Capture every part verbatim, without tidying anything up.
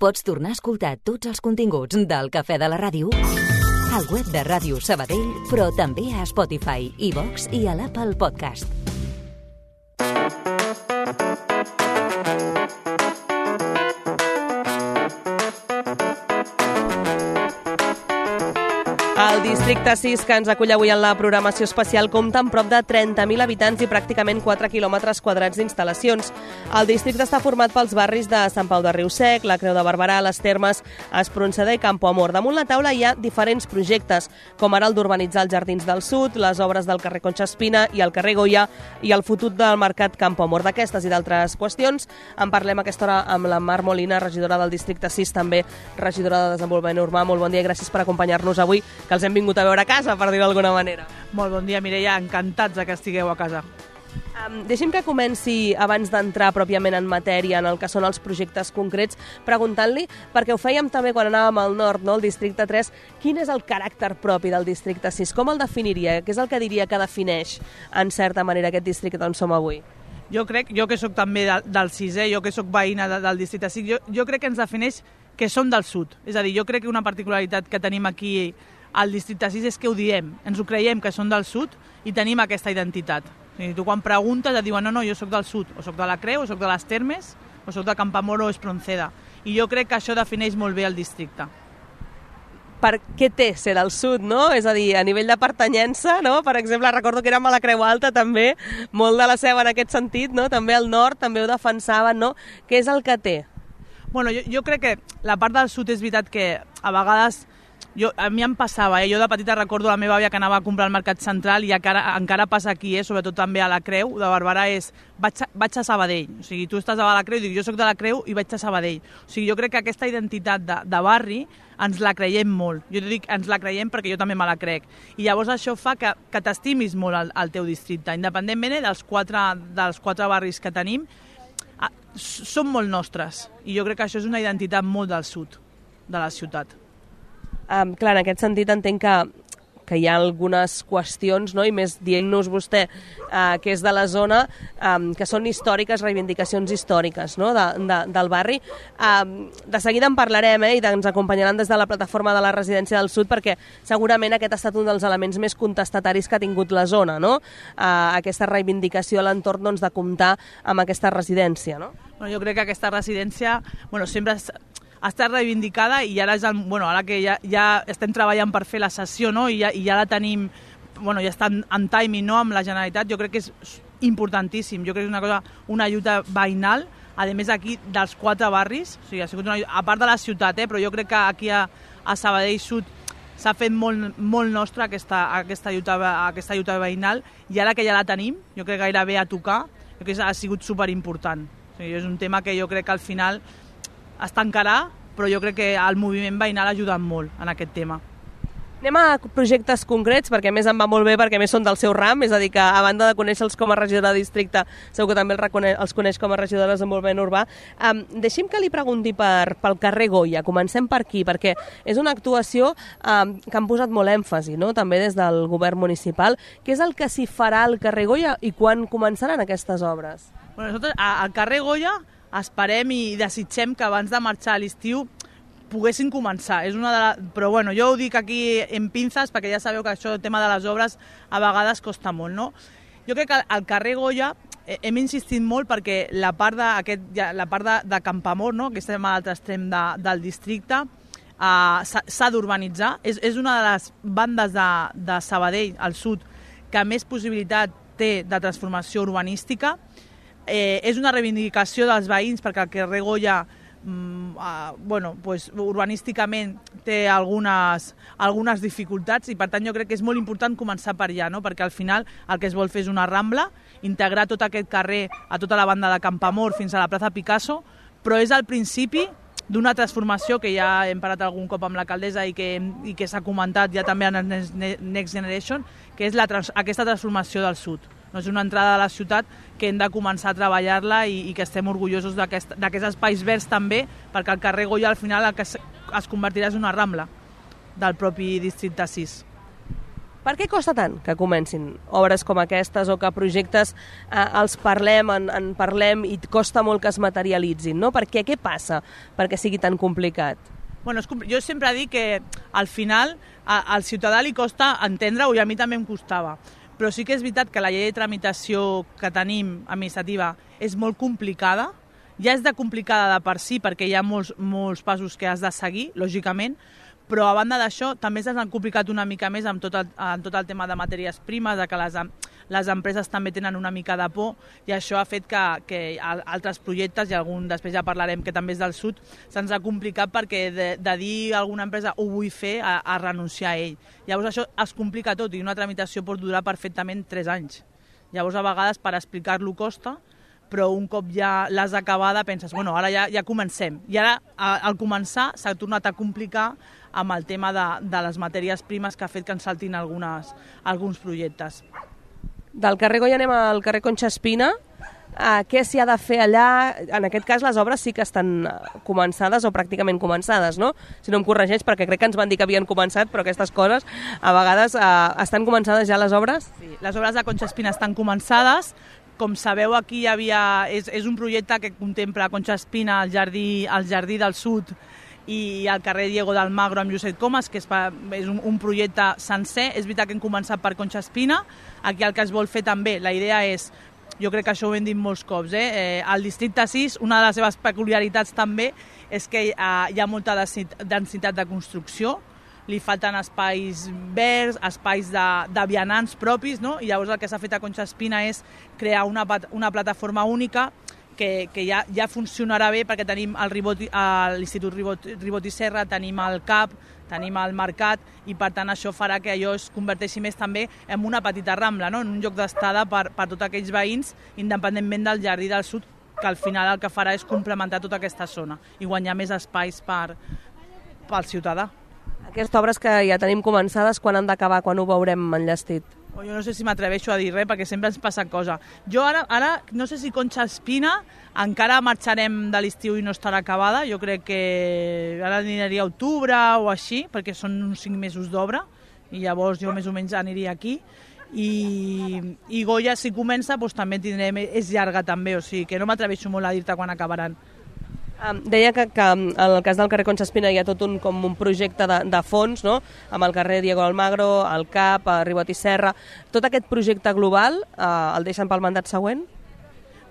Pots tornar a escoltar tots els continguts del Cafè de la Ràdio al web de Ràdio Sabadell, però també a Spotify, iVox i a l'Apple Podcast. El districte sis, que ens acull avui en la programació especial, compta amb prop de trenta mil habitants i pràcticament quatre quilòmetres quadrats d'instal·lacions. El districte està format pels barris de Sant Pau de Riu-Sec, la Creu de Barberà, les Termes, Espronceda i Campo Amor. Damunt la taula hi ha diferents projectes, com ara el d'urbanitzar els Jardins del Sud, les obres del carrer Concha Espina i el carrer Goya i el futur del mercat Campo Amor. D'aquestes i d'altres qüestions en parlem a aquesta hora amb la Mar Molina, regidora del districte sis, també regidora de Desenvolupament Urbà. Molt bon dia i gràcies per acompanyar-nos avui, que els hem vingut a veure a casa, per dir-ho d'alguna manera. Molt bon dia, Mireia. Encantats que estigueu a casa. Um, deixi'm que comenci, abans d'entrar pròpiament en matèria, en el que són els projectes concrets, preguntant-li, perquè ho fèiem també quan anàvem al nord, no, al districte tres, quin és el caràcter propi del districte sis? Com el definiria? Què és el que diria que defineix, en certa manera, aquest districte on som avui? Jo crec, jo que sóc també del, del sisè, jo que sóc veïna de, del districte sis, jo, jo crec que ens defineix que som del sud. És a dir, jo crec que una particularitat que tenim aquí al districte sis és que ho diem, ens ho creiem que són del sud i tenim aquesta identitat. O sigui, tu quan preguntes et diuen no, no, jo sóc del sud, o sóc de la Creu, o sóc de les Termes, o sóc de Campamor o Espronceda. I jo crec que això defineix molt bé el districte. Per què té ser del sud, no? És a dir, a nivell de pertanyença, no? Per exemple, recordo que érem a la Creu Alta també, molt de la seva en aquest sentit, no? També al nord, també ho defensaven, no? Què és el que té? Bueno, jo, jo crec que la part del sud és veritat que a vegades Jo, a mi em passava, eh? Jo de petita recordo la meva àvia que anava a comprar al Mercat Central i encara, encara passa aquí, eh? Sobretot també a la Creu de Barberà, és vaig a, vaig a Sabadell. O sigui, tu estàs a la Creu i dic jo soc de la Creu i vaig a Sabadell. O sigui, jo crec que aquesta identitat de, de barri ens la creiem molt. Jo dic ens la creiem perquè jo també me la crec. I llavors això fa que, que t'estimis molt al, al teu districte. Independentment dels quatre, dels quatre barris que tenim, són molt nostres. I jo crec que això és una identitat molt del sud de la ciutat. Um, clar, en aquest sentit entenc que, que hi ha algunes qüestions, no? I més dient-nos vostè uh, que és de la zona, um, que són històriques, reivindicacions històriques, no? de, de, del barri. Um, de seguida en parlarem, eh? I ens acompanyaran des de la plataforma de la Residència del Sud, perquè segurament aquest ha estat un dels elements més contestataris que ha tingut la zona, no? Uh, aquesta reivindicació a l'entorn, doncs, de comptar amb aquesta residència, no? Bueno, jo crec que aquesta residència bueno, sempre ha estat reivindicada i ara, és el, bueno, ara que ja, ja estem treballant per fer la sessió, no? I, ja, i ja la tenim, bueno, ja està en, en timing, no? Amb la Generalitat, jo crec que és importantíssim. Jo crec que és una cosa, una lluita veïnal, a més aquí dels quatre barris, o sigui, ha sigut una, a part de la ciutat, eh? Però jo crec que aquí a, a Sabadell Sud s'ha fet molt, molt nostra aquesta, aquesta, lluita, aquesta lluita veïnal i ara que ja la tenim, jo crec que gairebé a tocar, jo crec que ha sigut superimportant. O sigui, és un tema que jo crec que al final es tancarà, però jo crec que el moviment veïnal ha ajudat molt en aquest tema. Anem a projectes concrets, perquè a més em va molt bé, perquè a més són del seu ram, és a dir que a banda de conèixer-los com a regidora de districte, segur que també els, recone- els coneix com a regidora de Desenvolupament Urbà. Um, deixi'm que li pregunti per, pel carrer Goya, comencem per aquí, perquè és una actuació um, que han posat molt èmfasi, no? També des del govern municipal. Què és el que s'hi farà al carrer Goya i quan començaran aquestes obres? Bueno, nosaltres al carrer Goya esperem i desitgem que abans de marxar a l'estiu poguessin començar. És una de la... Però bueno, jo ho dic aquí en pinces perquè ja sabeu que això, el tema de les obres, a vegades costa molt, no? Jo crec que al carrer Goya hem insistit molt perquè la part de, aquest, la part de, de Campamor, no? Que estem a l'altre extrem de, del districte, uh, s'ha d'urbanitzar. És, és una de les bandes de, de Sabadell, al sud, que més possibilitat té de transformació urbanística. Eh, és una reivindicació dels veïns perquè el carrer Goya mm, uh, bueno, pues, urbanísticament té algunes, algunes dificultats i per tant jo crec que és molt important començar per allà, no? Perquè al final el que es vol fer és una rambla, integrar tot aquest carrer a tota la banda de Campamor fins a la plaça Picasso, però és el principi d'una transformació que ja hem parat algun cop amb l'alcaldessa i que, i que s'ha comentat ja també en Next Generation, que és la, aquesta transformació del sud. No és una entrada a la ciutat que hem de començar a treballar-la i, i que estem orgullosos d'aquests espais verds també, perquè el carrer Goya al final el que es, es convertirà en una rambla del propi districte sis. Per què costa tant que comencin obres com aquestes o que projectes eh, els parlem, en, en parlem i costa molt que es materialitzin, no? Per què? Què passa perquè sigui tan complicat? Bueno, és, jo sempre dic que al final a, al ciutadà li costa entendre-ho i a mi també em costava. Però sí que és veritat que la llei de tramitació que tenim administrativa és molt complicada. Ja és de complicada de per si perquè hi ha molts, molts passos que has de seguir, lògicament, però a banda d'això també s'han complicat una mica més amb tot el, amb tot el tema de matèries primes, de que les, les empreses també tenen una mica de por i això ha fet que, que altres projectes, i algun després ja parlarem que també és del sud, se'ns ha complicat perquè de, de dir a alguna empresa ho vull fer a, a renunciar a ell. Llavors això es complica tot i una tramitació pot durar perfectament tres anys. Llavors a vegades per explicar-lo costa, però un cop ja l'has acabada penses, bueno, ara ja, ja comencem. I ara, al començar, s'ha tornat a complicar amb el tema de, de les matèries primes que ha fet que ens saltin algunes, alguns projectes. Del carrer Goya anem al carrer Concha Espina. Uh, què s'hi ha de fer allà? En aquest cas les obres sí que estan començades o pràcticament començades, no? Si no em corregeix, perquè crec que ens van dir que havien començat, però aquestes coses a vegades uh, estan començades ja les obres? Sí, les obres de Concha Espina estan començades. Com sabeu, aquí hi havia, és, és un projecte que contempla Concha Espina, el jardí, el jardí del Sud i el carrer Diego d'Almagro amb Josep Comas, que és, pa, és un, un projecte sencer. És veritat que hem començat per Concha Espina. Aquí el que es vol fer també, la idea és, jo crec que això ho hem dit molts cops, eh? Eh, el districte sis, una de les seves peculiaritats també és que eh, hi ha molta densitat de construcció, li falten espais verds, espais de, de vianants propis, no? I llavors el que s'ha fet a Concha Espina és crear una, una plataforma única que, que ja, ja funcionarà bé perquè tenim l'Institut Ribot, Ribot i Serra, tenim el C A P, tenim el Mercat i per tant això farà que allò es converteixi més també en una petita rambla, no? En un lloc d'estada per, per tots aquells veïns, independentment del Jardí del Sud, que al final el que farà és complementar tota aquesta zona i guanyar més espais per, pel ciutadà. Aquestes obres que ja tenim començades, quan han d'acabar, quan ho veurem enllestit? O jo no sé si m'atreveixo a dir res, perquè sempre ens passa cosa. Jo ara, ara no sé si Concha Espina encara marxarem de l'estiu i no estarà acabada. Jo crec que ara aniria a octubre o així, perquè són uns cinc mesos d'obra, i llavors jo més o menys aniria aquí. I, i Goya, si comença, doncs també tindrem, és llarga també, o sigui que no m'atreveixo molt a dir-te quan acabaran. Um, deia que, que en el cas del carrer Concha Espina hi ha tot un, com un projecte de, de fons, no? Amb el carrer Diego Almagro, el C A P, el Ribot i Serra. Tot aquest projecte global uh, el deixen pel mandat següent?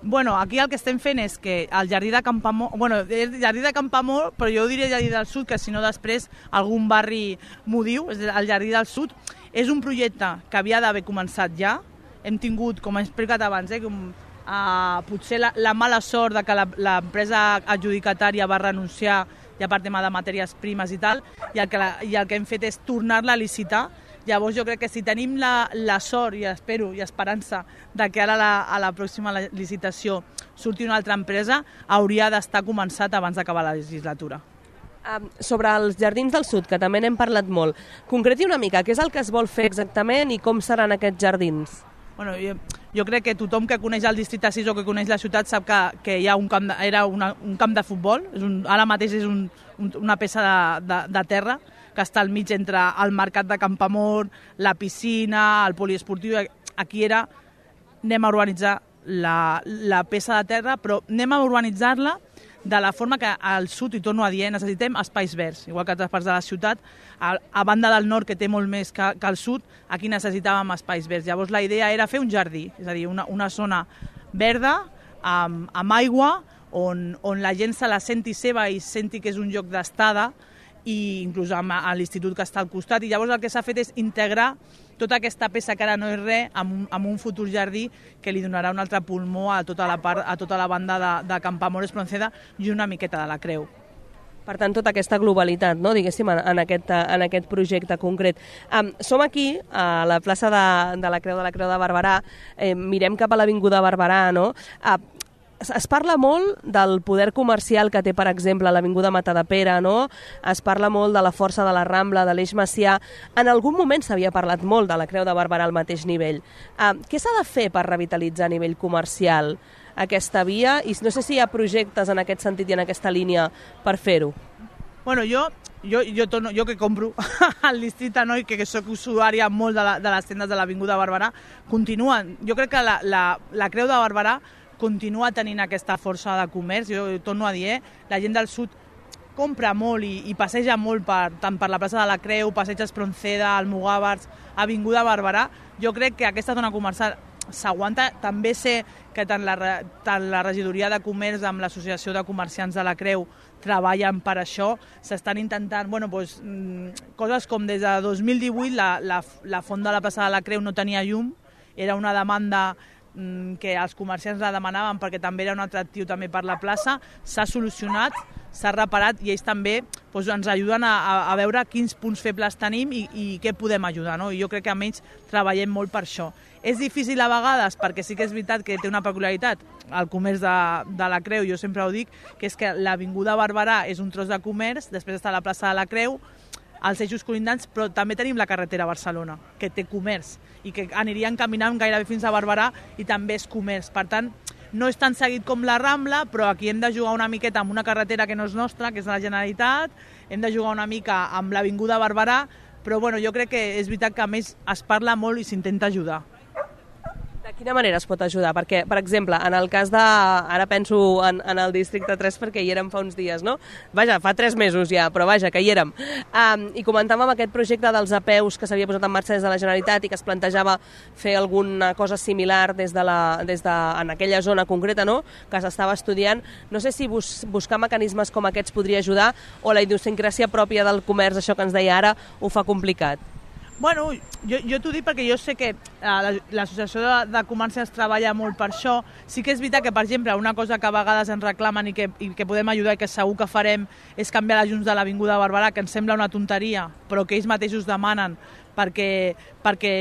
Bueno, aquí el que estem fent és que el Jardí de Campamor, bueno, el Jardí de Campamor, però jo diria Jardí del Sud, que si no després algun barri m'ho diu, és el Jardí del Sud, és un projecte que havia d'haver començat ja. Hem tingut, com he explicat abans, eh, com Uh, potser la, la mala sort de que l'empresa adjudicatària va renunciar ja per tema de matèries primes i tal, i el que, la, i el que hem fet és tornar-la a licitar. Llavors jo crec que si tenim la, la sort, i espero, i esperança, de que ara la, a la pròxima licitació surti una altra empresa, hauria d'estar començat abans d'acabar la legislatura. Um, sobre els Jardins del Sud, que també n'hem parlat molt, concreti una mica, què és el que es vol fer exactament i com seran aquests jardins? Bueno, jo, jo crec que tothom que coneix el districte sis o que coneix la ciutat sap que, que hi ha un camp de, era una, un camp de futbol. És un, ara mateix és un, un, una peça de, de, de terra que està al mig entre el mercat de Campamor, la piscina, el poliesportiu. Aquí era, anem a urbanitzar la, la peça de terra, però anem a urbanitzar-la de la forma que al sud, i torno a dir, necessitem espais verds, igual que altres parts de la ciutat. A, a banda del nord, que té molt més que, que al sud, aquí necessitàvem espais verds. Llavors la idea era fer un jardí, és a dir, una, una zona verda, amb, amb aigua, on, on la gent se la senti seva i senti que és un lloc d'estada, i inclús amb, a l'institut que està al costat. I llavors el que s'ha fet és integrar tota aquesta peça que ara no és res amb un, amb un futur jardí que li donarà un altre pulmó a tota la, part, a tota la banda de, de Campamor Espronceda i una miqueta de la Creu. Per tant, tota aquesta globalitat, no? Diguéssim, en, en, aquest, en aquest projecte concret. Um, som aquí, a la plaça de, de la Creu de la Creu de Barberà, eh, mirem cap a l'Avinguda Barberà, no? Uh, Es parla molt del poder comercial que té, per exemple, l'Avinguda Matadepera, no? Es parla molt de la força de la Rambla, de l'Eix Macià. En algun moment s'havia parlat molt de la Creu de Barberà al mateix nivell. Uh, què s'ha de fer per revitalitzar a nivell comercial aquesta via? I no sé si hi ha projectes en aquest sentit i en aquesta línia per fer-ho. Bueno, jo, jo, jo, torno, jo que compro al districte, no? I que, que soc usuària molt de, la, de les tendes de l'Avinguda Barberà, continuen. Jo crec que la, la, la Creu de Barberà continua tenint aquesta força de comerç. Jo, jo torno a dir, eh? La gent del sud compra molt i, i passeja molt per, tant per la plaça de la Creu, passeig Espronceda, Almogàvers, Avinguda Barberà. Jo crec que aquesta zona comercial s'aguanta. També sé que tant la, tant la regidoria de comerç amb l'associació de comerciants de la Creu treballen per això. S'estan intentant, bueno, doncs, coses com des de dos mil divuit la, la, la font de la plaça de la Creu no tenia llum, era una demanda que els comerciants la demanaven perquè també era un atractiu també per la plaça. S'ha solucionat, s'ha reparat i ells també doncs, ens ajuden a, a veure quins punts febles tenim i, i què podem ajudar, no? I jo crec que almenys treballem molt per això. És difícil a vegades perquè sí que és veritat que té una peculiaritat el comerç de, de la Creu, jo sempre ho dic, que és que l'Avinguda Barberà és un tros de comerç, després està la plaça de la Creu, els eixos colindants, però també tenim la carretera a Barcelona, que té comerç i que anirien caminant gairebé fins a Barberà i també és comerç. Per tant, no és tan seguit com la Rambla, però aquí hem de jugar una miqueta amb una carretera que no és nostra, que és de la Generalitat, hem de jugar una mica amb l'Avinguda Barberà, però bueno, jo crec que és veritat que a més es parla molt i s'intenta ajudar. De quina manera es pot ajudar? Perquè, per exemple, en el cas de... Ara penso en, en el districte tres perquè hi érem fa uns dies, no? Vaja, fa tres mesos ja, però vaja, que hi érem. Um, I comentàvem aquest projecte dels apeus que s'havia posat en marxa des de la Generalitat i que es plantejava fer alguna cosa similar des de la, des de, en aquella zona concreta, no?, que s'estava estudiant. No sé si bus, buscar mecanismes com aquests podria ajudar o la idiosincràsia pròpia del comerç, això que ens deia ara, ho fa complicat. Bueno, jo, jo t'ho dic perquè jo sé que eh, l'associació de, de comerciants treballa molt per això. Sí que és veritat que, per exemple, una cosa que a vegades ens reclamen i que, i que podem ajudar i que segur que farem és canviar les llums de l'Avinguda Barberà, que ens sembla una tonteria, però que ells mateixos demanen perquè, perquè,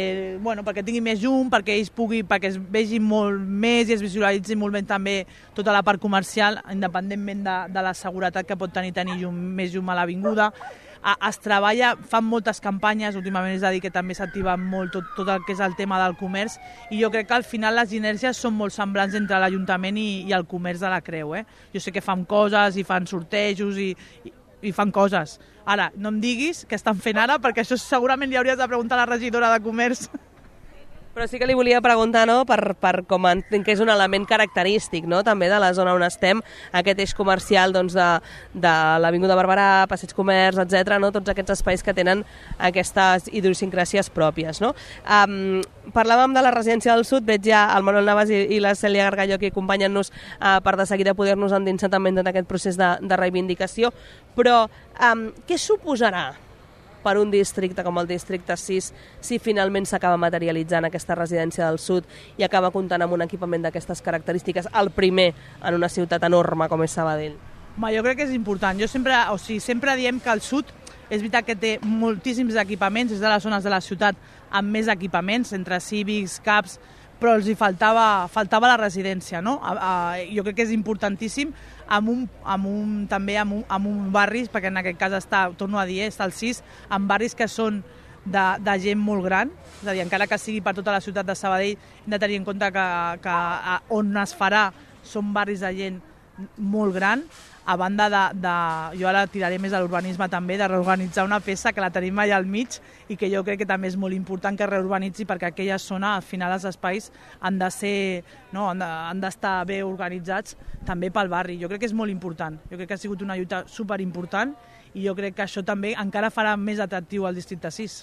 bueno, perquè tingui més llum, perquè ells pugui, perquè es vegi molt més i es visualitzi molt bé també tota la part comercial, independentment de, de la seguretat que pot tenir tenir llum, més llum a l'Avinguda. Es treballa, fan moltes campanyes, últimament és a dir que també s'activa molt tot, tot el que és el tema del comerç i jo crec que al final les inèrcies són molt semblants entre l'Ajuntament i, i el comerç de la Creu. Eh? Jo sé que fan coses i fan sortejos i, i, i fan coses. Ara, no em diguis què estan fent ara perquè això segurament li hauries de preguntar a la regidora de comerç. Però sí que li volia preguntar, no?, per, per com entenc que és un element característic, no?, també de la zona on estem, aquest eix comercial doncs, de, de l'Avinguda Barberà, Passeig Comerç, etcètera, no?, tots aquests espais que tenen aquestes idiosincràsies pròpies, no? Um, parlàvem de la residència del sud, veig ja el Manuel Navas i, i la Cèlia Gargallo aquí acompanyant-nos uh, per de seguida poder-nos endinsar també en tot aquest procés de, de reivindicació, però um, què suposarà per un districte com el districte sis si finalment s'acaba materialitzant aquesta residència del sud i acaba comptant amb un equipament d'aquestes característiques, el primer en una ciutat enorme com és Sabadell? Ma, jo crec que és important. Jo sempre, o sigui, sempre diem que el sud és veritat que té moltíssims equipaments, és de les zones de la ciutat amb més equipaments, entre cívics, caps, però els hi faltava, faltava la residència, no? A, a, jo crec que és importantíssim amb un, amb un, també amb un, amb un barris, perquè en aquest cas està, torno a dir, està el sis, amb barris que són de, de gent molt gran, és a dir, encara que sigui per tota la ciutat de Sabadell, hem de tenir en compte que, que a, on es farà són barris de gent molt gran, a banda de, de, jo ara tiraré més a l'urbanisme també, de reorganitzar una peça que la tenim allà al mig i que jo crec que també és molt important que reurbanitzi perquè aquella zona, al final els espais han de ser, no, han de, han d'estar bé organitzats també pel barri. Jo crec que és molt important, jo crec que ha sigut una lluita superimportant i jo crec que això també encara farà més atractiu al districte sis.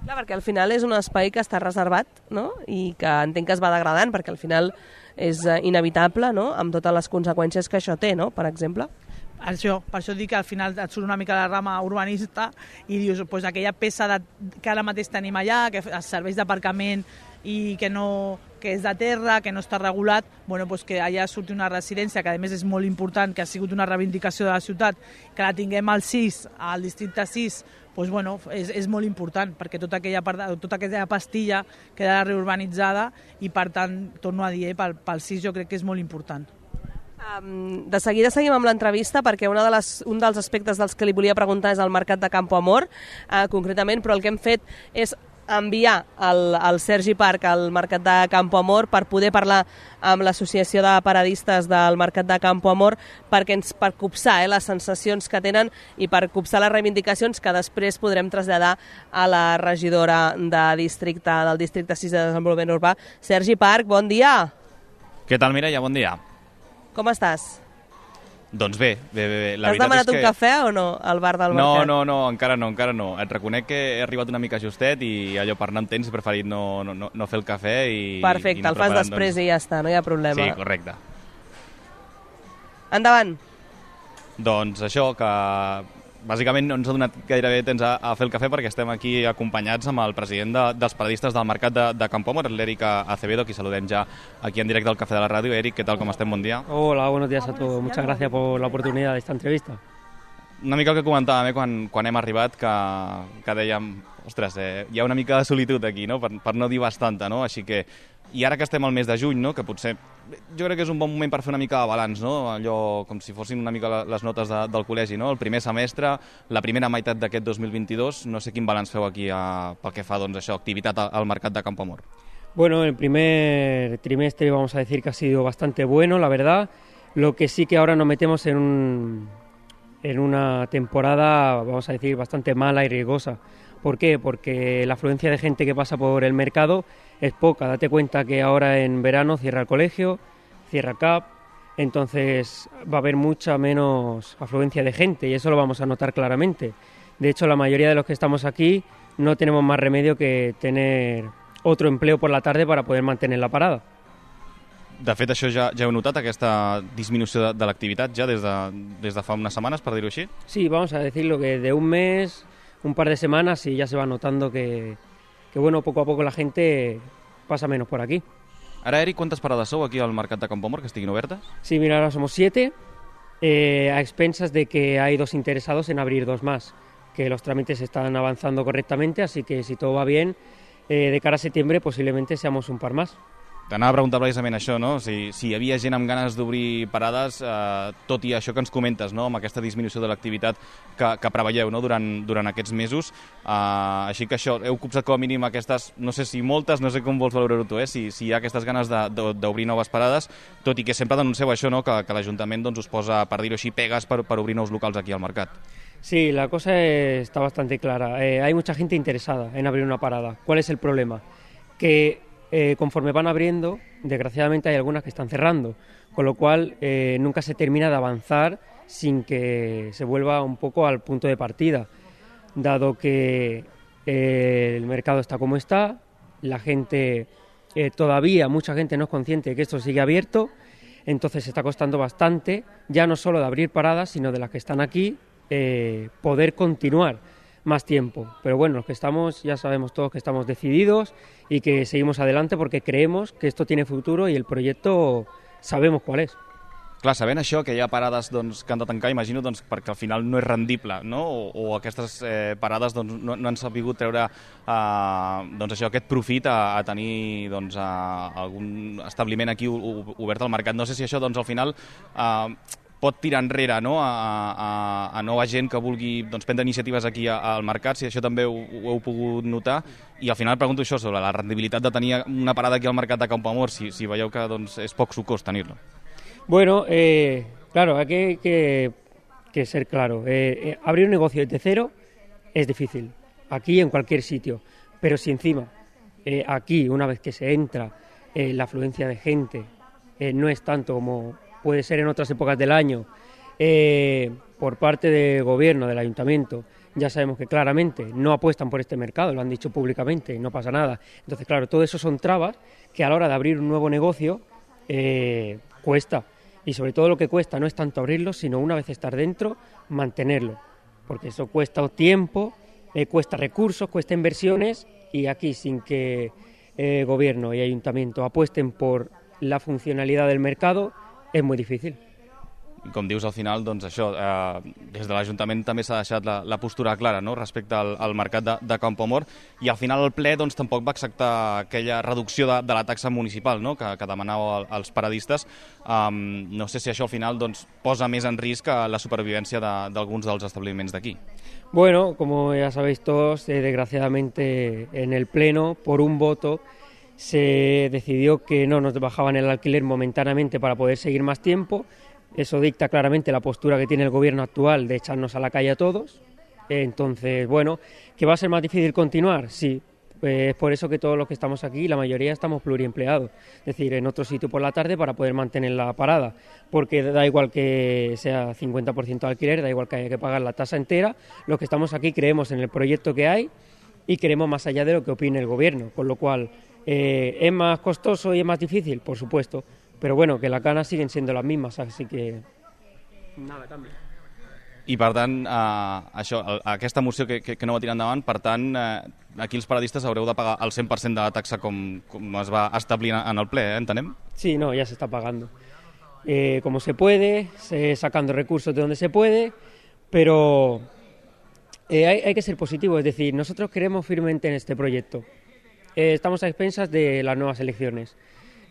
Clar, perquè al final és un espai que està reservat, no?, i que entenc que es va degradant perquè al final és inevitable, no?, amb totes les conseqüències que això té, no?, per exemple. Això, per això dic que al final et surt una mica la rama urbanista i dius, pues, aquella peça de, que ara mateix tenim allà, que es serveix d'aparcament i que, no, que és de terra, que no està regulat, bueno, pues que allà surti una residència, que a més és molt important, que ha sigut una reivindicació de la ciutat, que la tinguem al sis, al districte sis, pues, bueno, és, és molt important, perquè tota aquella, part, tota aquella pastilla quedarà reurbanitzada i, per tant, torno a dir, eh, pel, pel sis jo crec que és molt important. Um, de seguida seguim amb l'entrevista perquè una de les, un dels aspectes dels que li volia preguntar és el mercat de Campo Amor, uh, concretament, però el que hem fet és enviar el, el Sergi Parc al Mercat de Campo Amor per poder parlar amb l'Associació de Paradistes del Mercat de Campo Amor perquè ens, per copsar eh, les sensacions que tenen i per copsar les reivindicacions que després podrem traslladar a la regidora de districte, del districte sis de Desenvolupament Urbà. Sergi Parc, bon dia! Què tal, Mireia? Bon dia. Com estàs? Doncs bé, bé, bé. bé. La Has demanat és que... un cafè o no al bar del no, Mercat? No, no, encara no, encara no. Et reconec que he arribat una mica justet i allò per anar amb temps he preferit no, no, no fer el cafè i... Perfecte, i el fas després doncs... i ja està, no hi ha problema. Sí, correcte. Endavant. Doncs això, que bàsicament no ens ha donat gairebé temps a, a fer el cafè perquè estem aquí acompanyats amb el president de, dels paradistes del Mercat de, de Campo Amor, l'Eric Acevedo, qui saludem ja aquí en directe al Cafè de la Ràdio. Eric, ¿qué tal? ¿Cómo estem? Bon dia. Hola, buenos días a todos. Muchas gracias por la oportunidad de esta entrevista. Una mica el que comentàvem eh, quan, quan hem arribat, que, que dèiem, ostres, eh, hi ha una mica de solitud aquí, no? per, per no dir bastanta, no? Així que, i ara que estem al mes de juny, no? Que potser, jo crec que és un bon moment per fer una mica de balanç, no? Allò com si fossin una mica les notes de, del col·legi, no? El primer semestre, la primera meitat d'aquest dos mil vint-i-dos, no sé quin balanç feu aquí a, pel que fa, doncs, això, activitat al, al Mercat de Campo Amor. Bueno, el primer trimestre vamos a decir que ha sido bastante bueno, la verdad. Lo que sí que ahora nos metemos en un... en una temporada, vamos a decir, bastante mala y riesgosa. ¿Por qué? Porque la afluencia de gente que pasa por el mercado es poca. Date cuenta que ahora en verano cierra el colegio, cierra C A P, entonces va a haber mucha menos afluencia de gente y eso lo vamos a notar claramente. De hecho, la mayoría de los que estamos aquí no tenemos más remedio que tener otro empleo por la tarde para poder mantener la parada. De fet, això ja, ja heu notat, aquesta disminució de, de l'activitat ja des de, des de fa unes setmanes, per dir-ho així? Sí, vamos a decirlo que de un mes, un par de semanas y ya se va notando que, que bueno, poco a poco la gente pasa menos por aquí. Ara, Eric, quantes parades sou aquí al Mercat de Campo Amor que estiguin obertes? Sí, mira, ahora somos siete, eh, a expensas de que hay dos interesados en abrir dos más, que los trámites están avanzando correctamente, así que si todo va bien, eh, de cara a septiembre posiblemente seamos un par más. T'anava a preguntar precisament això, no? Si, si hi havia gent amb ganes d'obrir parades, eh, tot i això que ens comentes, no? Amb aquesta disminució de l'activitat que, que preveieu, no? durant, durant aquests mesos. Eh, així que això, heu copsat com a mínim aquestes, no sé si moltes, no sé com vols valorar-ho tu, eh? si, si hi ha aquestes ganes d'obrir noves parades, tot i que sempre denuncieu això, no? que, que l'Ajuntament doncs, us posa, per dir-ho així, pegues per, per obrir nous locals aquí al mercat. Sí, la cosa está bastante clara. Eh, hay mucha gente interesada en abrir una parada. ¿Cuál es el problema? Que Eh, conforme van abriendo, desgraciadamente hay algunas que están cerrando, con lo cual eh, nunca se termina de avanzar sin que se vuelva un poco al punto de partida, dado que eh, el mercado está como está, la gente, eh, todavía mucha gente no es consciente de que esto sigue abierto, entonces está costando bastante, ya no solo de abrir paradas, sino de las que están aquí, eh, poder continuar más tiempo. Pero bueno, los que estamos, ya sabemos todos que estamos decididos y que seguimos adelante porque creemos que esto tiene futuro y el proyecto sabemos cuál es. Clar, sabent això, que hi ha parades doncs, que han de tancar, imagino doncs, perquè al final no és rendible, no? O, o aquestes eh, parades doncs, no, no han sabut treure eh, doncs, això, aquest profit a, a tenir doncs, a algun establiment aquí obert al mercat. No sé si això doncs, al final eh, pot tirar enrere, no? a, a, a nova gent que vulgui doncs, prendre iniciatives aquí al mercat, si això també ho, ho heu pogut notar. I al final pregunto això sobre la rendibilitat de tenir una parada aquí al Mercat de Campo Amor, si, si veieu que doncs, és poc sucós tenir-lo. Bueno, eh, claro, hay que, que, que ser claro. Eh, eh, abrir un negocio desde cero es difícil, aquí en cualquier sitio. Pero si encima, eh, aquí, una vez que se entra, eh, la afluencia de gente eh, no es tanto como puede ser en otras épocas del año, eh, por parte del gobierno, del ayuntamiento, ya sabemos que claramente no apuestan por este mercado, lo han dicho públicamente y no pasa nada. Entonces, claro, todo eso son trabas que a la hora de abrir un nuevo negocio eh, cuesta. Y sobre todo lo que cuesta no es tanto abrirlo, sino una vez estar dentro, mantenerlo. Porque eso cuesta tiempo, eh, cuesta recursos, cuesta inversiones y aquí sin que eh, gobierno y ayuntamiento apuesten por la funcionalidad del mercado, es muy difícil. com dius, al final, doncs això, eh, des de l'Ajuntament també s'ha deixat la, la postura clara, no?, respecte al, al mercat de, de Campoamor, i al final el ple doncs, tampoc va acceptar aquella reducció de, de la taxa municipal, no?, que, que demanava els paradistes. Um, no sé si això al final doncs, posa més en risc la supervivència d'alguns de, dels establiments d'aquí. Bueno, como ya sabéis todos, eh, desgraciadamente en el Pleno, por un voto, se decidió que no nos bajaban el alquiler momentáneamente para poder seguir más tiempo. Eso dicta claramente la postura que tiene el gobierno actual de echarnos a la calle a todos. Entonces, bueno, ¿que va a ser más difícil continuar? Sí, pues es por eso que todos los que estamos aquí, la mayoría estamos pluriempleados, es decir, en otro sitio por la tarde para poder mantener la parada, porque da igual que sea cincuenta por ciento de alquiler, da igual que haya que pagar la tasa entera, los que estamos aquí creemos en el proyecto que hay y queremos más allá de lo que opine el gobierno, con lo cual eh, es más costoso y es más difícil, por supuesto, pero bueno, que las ganas siguen siendo las mismas, así que nada cambia. I, per tant, eh, això, aquesta moció que, que, que no va tirar endavant, per tant, eh, aquí els paradistes haureu de pagar el cent per cent de la taxa com, com es va establir en el ple, eh, entenem? Sí, no, ya se está pagando. Eh, como se puede, se, sacando recursos de donde se puede, pero eh, hay, hay que ser positivo, es decir, nosotros creemos firmemente en este proyecto. Eh, estamos a expensas de las nuevas elecciones.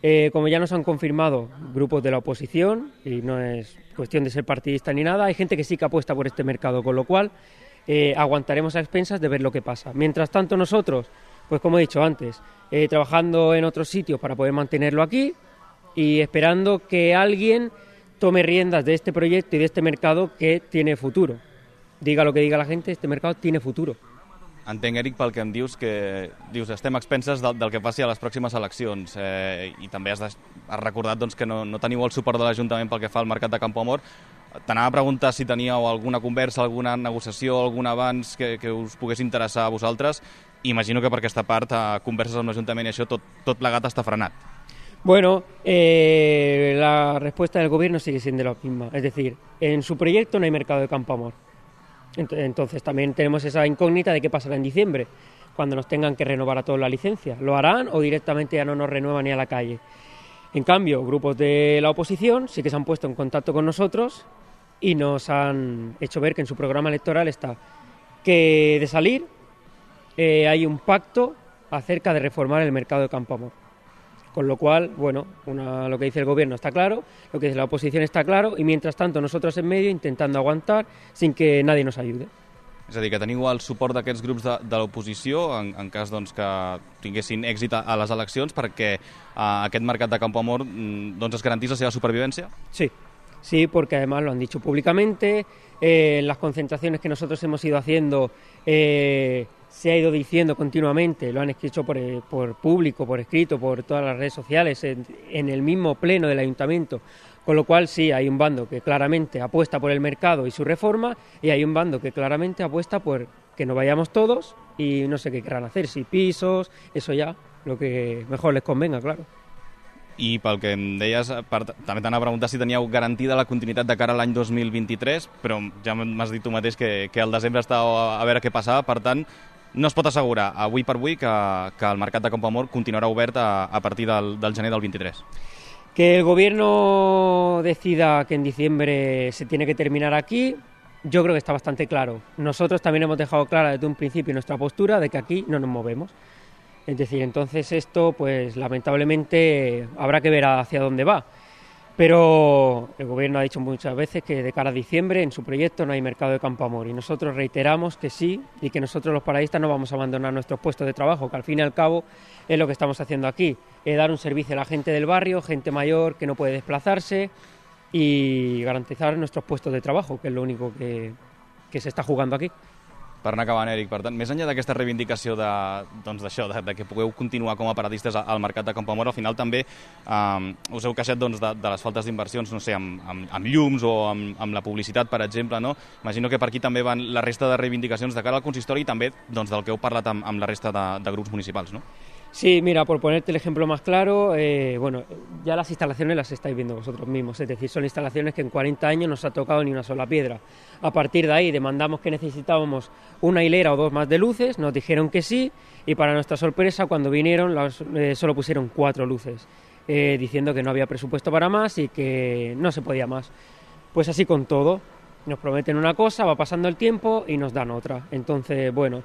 Eh, como ya nos han confirmado grupos de la oposición, y no es cuestión de ser partidista ni nada, hay gente que sí que apuesta por este mercado, con lo cual eh, aguantaremos a expensas de ver lo que pasa. Mientras tanto nosotros, pues como he dicho antes, eh, trabajando en otros sitios para poder mantenerlo aquí y esperando que alguien tome riendas de este proyecto y de este mercado que tiene futuro. Diga lo que diga la gente, este mercado tiene futuro. Entenc, Eric, pel que em dius, que dius estem a expenses del, del que passi a les pròximes eleccions, eh, i també has, de, has recordat doncs, que no, no teniu el suport de l'Ajuntament pel que fa al mercat de Campoamor. T'anava a preguntar si teníeu alguna conversa, alguna negociació, algun avanç que, que us pogués interessar a vosaltres. Imagino que per aquesta part, a converses amb l'Ajuntament i això, tot, tot plegat està frenat. Bueno, eh, la respuesta del gobierno sigue siendo la misma, es decir, en su proyecto no hay mercado de Campoamor. Entonces también tenemos esa incógnita de qué pasará en diciembre, cuando nos tengan que renovar a todos la licencia. ¿Lo harán o directamente ya no nos renuevan ni a la calle? En cambio, grupos de la oposición sí que se han puesto en contacto con nosotros y nos han hecho ver que en su programa electoral está que de salir eh, hay un pacto acerca de reformar el mercado de Campoamor. Con lo cual, bueno, una, lo que dice el gobierno está claro, lo que dice la oposición está claro, y mientras tanto nosotros en medio intentando aguantar sin que nadie nos ayude. És a dir, que teniu el suport d'aquests grups de, de l'oposició en, en cas doncs, que tinguessin èxit a, a les eleccions perquè a aquest mercat de Campoamor doncs, es garantís la seva supervivència? Sí, sí, porque además lo han dicho públicamente, eh, en las concentraciones que nosotros hemos ido haciendo eh, se ha ido diciendo continuamente, lo han escrito por, por público, por escrito, por todas las redes sociales, en, en el mismo pleno del ayuntamiento, con lo cual sí, hay un bando que claramente apuesta por el mercado y su reforma, y hay un bando que claramente apuesta por que nos vayamos todos y no sé qué querrán hacer, si pisos, eso ya, lo que mejor les convenga, claro. I pel que em deies, per, també t'anava a preguntar si teníeu garantida la continuïtat de cara a l'any dos mil vint-i-tres, però ja m'has dit tu mateix que, que al desembre estava a veure què passava, per tant, no es pot assegurar avui per avui que, que el mercat de Campoamor continuarà obert a, a partir del, del gener del vint-i-tres. Que el gobierno decida que en diciembre se tiene que terminar aquí, yo creo que está bastante claro. Nosotros también hemos dejado clara desde un principio nuestra postura de que aquí no nos movemos. Es decir, entonces esto, pues lamentablemente habrá que ver hacia dónde va. Pero el gobierno ha dicho muchas veces que de cara a diciembre en su proyecto no hay mercado de Campoamor y nosotros reiteramos que sí y que nosotros los paradistas no vamos a abandonar nuestros puestos de trabajo, que al fin y al cabo es lo que estamos haciendo aquí, es dar un servicio a la gente del barrio, gente mayor que no puede desplazarse y garantizar nuestros puestos de trabajo, que es lo único que, que se está jugando aquí. Per anar acabant, Eric, per tant, més enllà d'aquesta reivindicació de, doncs d'això, de, de que pugueu continuar com a paradistes al mercat de Campoamor, al final també eh, us heu queixat doncs, de, de les faltes d'inversions, no sé, amb, amb, amb llums o amb, amb la publicitat, per exemple, no? Imagino que per aquí també van la resta de reivindicacions de cara al consistori i també doncs, del que heu parlat amb, amb la resta de, de grups municipals, no? Sí, mira, por ponerte el ejemplo más claro, eh, bueno, ya las instalaciones las estáis viendo vosotros mismos, es decir, son instalaciones que en cuarenta años no se ha tocado ni una sola piedra. A partir de ahí demandamos que necesitábamos una hilera o dos más de luces, nos dijeron que sí, y para nuestra sorpresa, cuando vinieron, las, eh, solo pusieron cuatro luces, eh, diciendo que no había presupuesto para más y que no se podía más. Pues así con todo, nos prometen una cosa, va pasando el tiempo y nos dan otra. Entonces, bueno,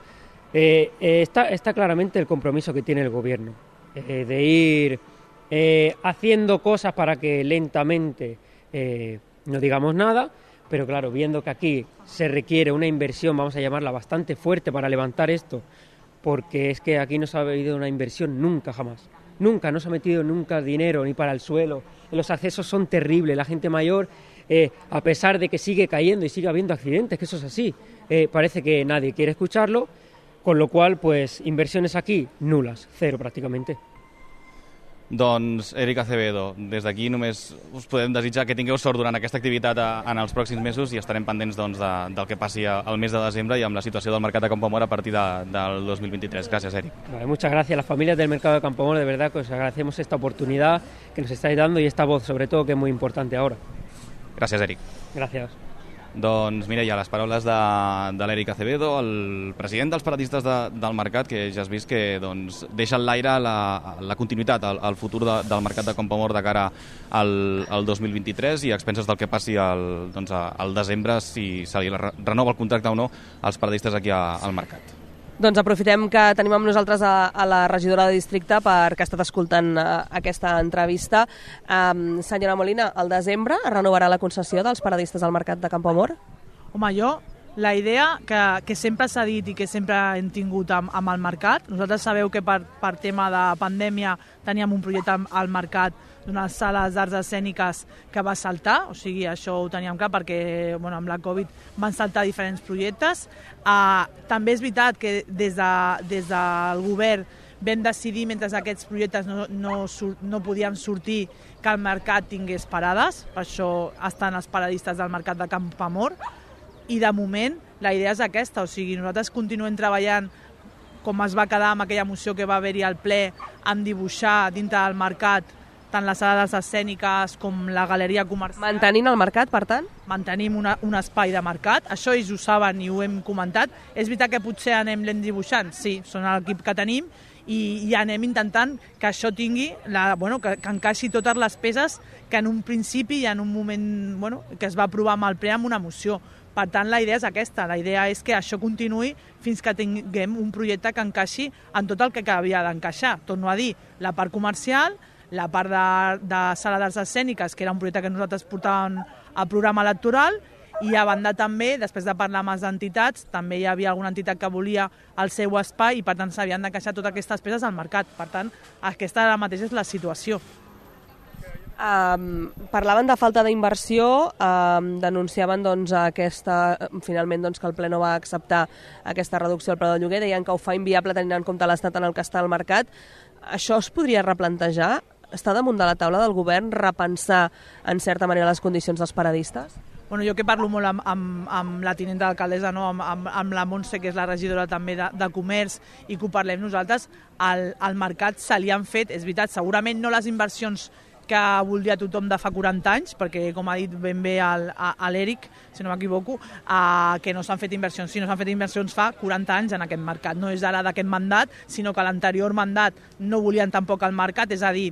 eh, eh, está, está claramente el compromiso que tiene el gobierno, eh, de ir eh, haciendo cosas para que lentamente eh, no digamos nada, pero claro, viendo que aquí se requiere una inversión, vamos a llamarla bastante fuerte para levantar esto, porque es que aquí no se ha habido una inversión nunca, jamás. Nunca, no se ha metido nunca dinero ni para el suelo. Los accesos son terribles. La gente mayor, eh, a pesar de que sigue cayendo y sigue habiendo accidentes, que eso es así, eh, parece que nadie quiere escucharlo, con lo cual, pues, inversiones aquí, nulas, cero prácticamente. Doncs, Eric Acevedo, des d'aquí només us podem desitjar que tingueu sort durant aquesta activitat a, en els pròxims mesos i estarem pendents doncs, de, del que passi al mes de desembre i amb la situació del mercat de Campoamor a partir de, del dos mil vint-i-tres. Gràcies, Eric. Vale, muchas gracias a las familias del mercado de Campoamor, de verdad que os agradecemos esta oportunidad que nos estáis dando y esta voz, sobre todo, que es muy importante ahora. Gràcies, Eric. Gracias. Doncs, Mireia, les paraules de, de l'Eric Acevedo, el president dels paradistes de, del mercat, que ja has vist que doncs, deixa en l'aire la, la continuïtat, el, el futur de, del mercat de Campoamor de cara al, al dos mil vint-i-tres i a expenses del que passi al, doncs, al desembre, si se li renova el contracte o no als paradistes aquí a, al mercat. Doncs aprofitem que tenim amb nosaltres a, a la regidora de districte perquè ha estat escoltant uh, aquesta entrevista. Um, senyora Molina, al desembre renovarà la concessió dels paradistes al mercat de Campoamor? Home, jo, la idea que, que sempre s'ha dit i que sempre hem tingut amb, amb el mercat, nosaltres sabeu que per, per tema de pandèmia teníem un projecte al mercat d'unes sales d'arts escèniques que va saltar, o sigui, això ho teníem clar perquè bueno, amb la Covid van saltar diferents projectes. Uh, també és veritat que des, de, des del govern vam decidir, mentre aquests projectes no, no, no podien sortir, que el mercat tingués parades, per això estan els paradistes del mercat de Campoamor, i de moment la idea és aquesta, o sigui, nosaltres continuem treballant com es va quedar amb aquella moció que va haver-hi al ple, amb dibuixar dintre del mercat tant les sales escèniques com la galeria comercial. Mantenint el mercat, per tant? Mantenim una, un espai de mercat, això ells ho saben i ho hem comentat. És veritat que potser anem lent dibuixant, sí, són l'equip que tenim, i, i anem intentant que això tingui, la, bueno, que, que encaixi totes les peces que en un principi i en un moment bueno, que es va aprovar amb el ple amb una moció. Per tant, la idea és aquesta, la idea és que això continuï fins que tinguem un projecte que encaixi en tot el que havia d'encaixar. Torno a dir, la part comercial, la part de, de sala d'arts escèniques, que era un projecte que nosaltres portàvem al programa electoral, i a banda també, després de parlar amb les entitats, també hi havia alguna entitat que volia el seu espai i per tant s'havien d'encaixar totes aquestes peces al mercat. Per tant, aquesta ara mateix és la situació. Um, parlaven de falta d'inversió, um, denunciaven doncs, aquesta, finalment doncs, que el ple no va acceptar aquesta reducció del preu del lloguer, deien que ho fa inviable tenint en compte l'estat en el que està el mercat. Això es podria replantejar? Està damunt de la taula del govern repensar en certa manera les condicions dels paradistes? Bueno, jo que parlo molt amb, amb, amb la tinenta d'alcaldessa, no? amb, amb, amb la Montse, que és la regidora també de, de comerç, i que ho parlem nosaltres, al, al mercat se li han fet, és veritat, segurament no les inversions que voldria tothom de fa quaranta anys, perquè, com ha dit ben bé l'Eric, si no m'equivoco, eh, que no s'han fet inversions. Sí, no s'han fet inversions fa quaranta anys en aquest mercat. No és ara d'aquest mandat, sinó que l'anterior mandat no volien tampoc el mercat, és a dir,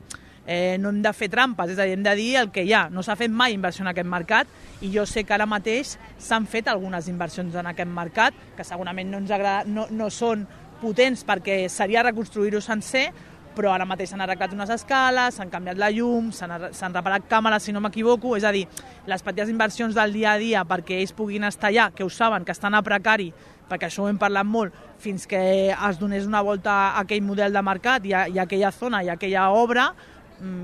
eh, no hem de fer trampes, és a dir, hem de dir el que hi ha. No s'ha fet mai inversió en aquest mercat i jo sé que ara mateix s'han fet algunes inversions en aquest mercat, que segurament no ens agrada, no, no són potents perquè seria reconstruir-ho sencer, però ara mateix s'han arreglat unes escales, s'han canviat la llum, s'han reparat càmeres, si no m'equivoco, és a dir, les petites inversions del dia a dia perquè ells puguin estar allà, que ho saben, que estan a precari, perquè això ho hem parlat molt, fins que es donés una volta a aquell model de mercat i a, i a aquella zona i a aquella obra,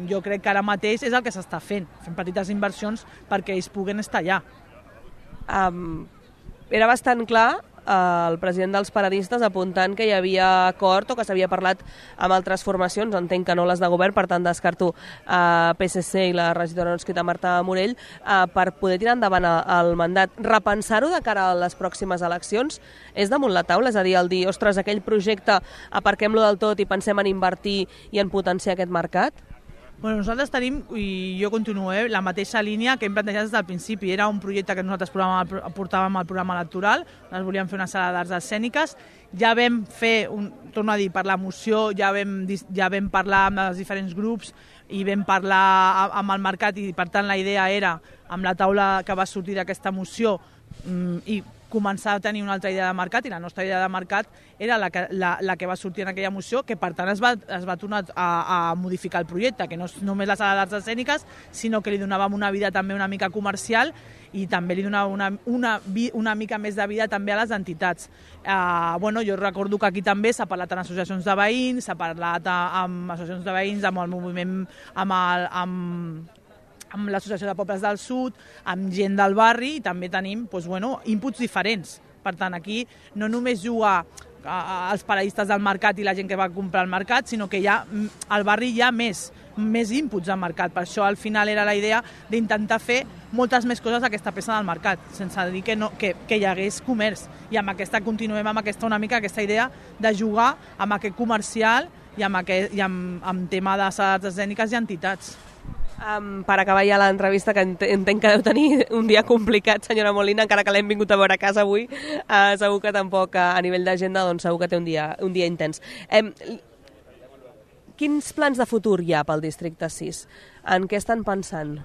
jo crec que ara mateix és el que s'està fent, fent petites inversions perquè ells puguen estar allà. Um, era bastant clar el president dels paradistes apuntant que hi havia acord o que s'havia parlat amb altres formacions, entenc que no les de govern, per tant descarto uh, P S C i la regidora no escrita Marta Morell, uh, per poder tirar endavant el mandat. Repensar-ho de cara a les pròximes eleccions és damunt la taula, és a dir, el dir, ostres, aquell projecte aparquem-lo del tot i pensem en invertir i en potenciar aquest mercat? Bueno, nosaltres tenim, i jo continuo, eh, la mateixa línia que hem plantejat des del principi. Era un projecte que nosaltres portàvem al programa electoral, nosaltres volíem fer una sala d'arts escèniques, ja vam fer, un, torno a dir, per la moció, ja vam, ja vam parlar amb els diferents grups i vam parlar amb el mercat i per tant la idea era, amb la taula que va sortir d'aquesta moció, i començar a tenir una altra idea de mercat, i la nostra idea de mercat era la que, la, la que va sortir en aquella moció, que per tant es va, es va tornar a, a modificar el projecte, que no és només la sala d'arts escèniques, sinó que li donàvem una vida també una mica comercial i també li donava una, una, una mica més de vida també a les entitats. Uh, bueno, jo recordo que aquí també s'ha parlat en associacions de veïns, s'ha parlat amb associacions de veïns, amb el moviment, amb el... Amb, amb l'Associació de Pobles del Sud, amb gent del barri, i també tenim doncs, bueno, inputs diferents. Per tant, aquí no només juga els paradistes del mercat i la gent que va comprar al mercat, sinó que hi ha, al barri hi ha més, més inputs al mercat. Per això al final era la idea d'intentar fer moltes més coses a aquesta peça del mercat, sense dir que, no, que, que hi hagués comerç. I amb aquesta continuem amb aquesta una mica aquesta idea de jugar amb aquest comercial i amb, aquest, i amb, amb tema de sales escèniques i entitats. Um, per acabar ja l'entrevista, que entenc que deu tenir un dia complicat, senyora Molina, encara que l'hem vingut a veure a casa avui, uh, segur que tampoc a nivell d'agenda, doncs segur que té un dia, un dia intens. Um, quins plans de futur hi ha pel districte sis? En què estan pensant?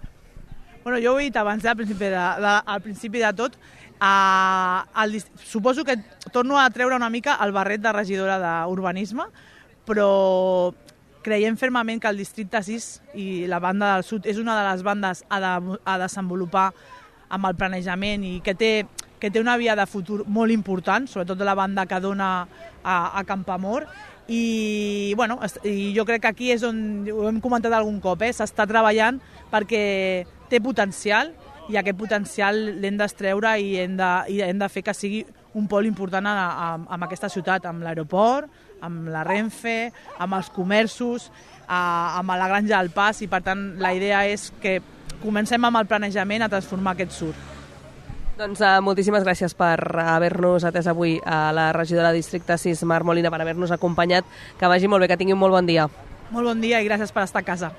Bueno, jo ho he dit abans, al principi de, de, al principi de tot, uh, el, suposo que torno a treure una mica el barret de regidora d'urbanisme, però creiem fermament que el districte sis i la banda del sud és una de les bandes a, de, a desenvolupar amb el planejament i que té, que té una via de futur molt important, sobretot la banda que dona a, a Campoamor. I, bueno, i jo crec que aquí és on, ho hem comentat algun cop, eh, s'està treballant perquè té potencial i aquest potencial l'hem d'extreure i, hem de, i hem de fer que sigui un pol important a, a, a aquesta ciutat, amb l'aeroport, amb la Renfe, amb els comerços, a, amb la Granja del Pas, i per tant la idea és que comencem amb el planejament a transformar aquest sud. Doncs uh, moltíssimes gràcies per haver-nos atès avui a la regidora de Districte sis, Mar Molina, per haver-nos acompanyat. Que vagi molt bé, que tingui un molt bon dia. Molt bon dia i gràcies per estar a casa.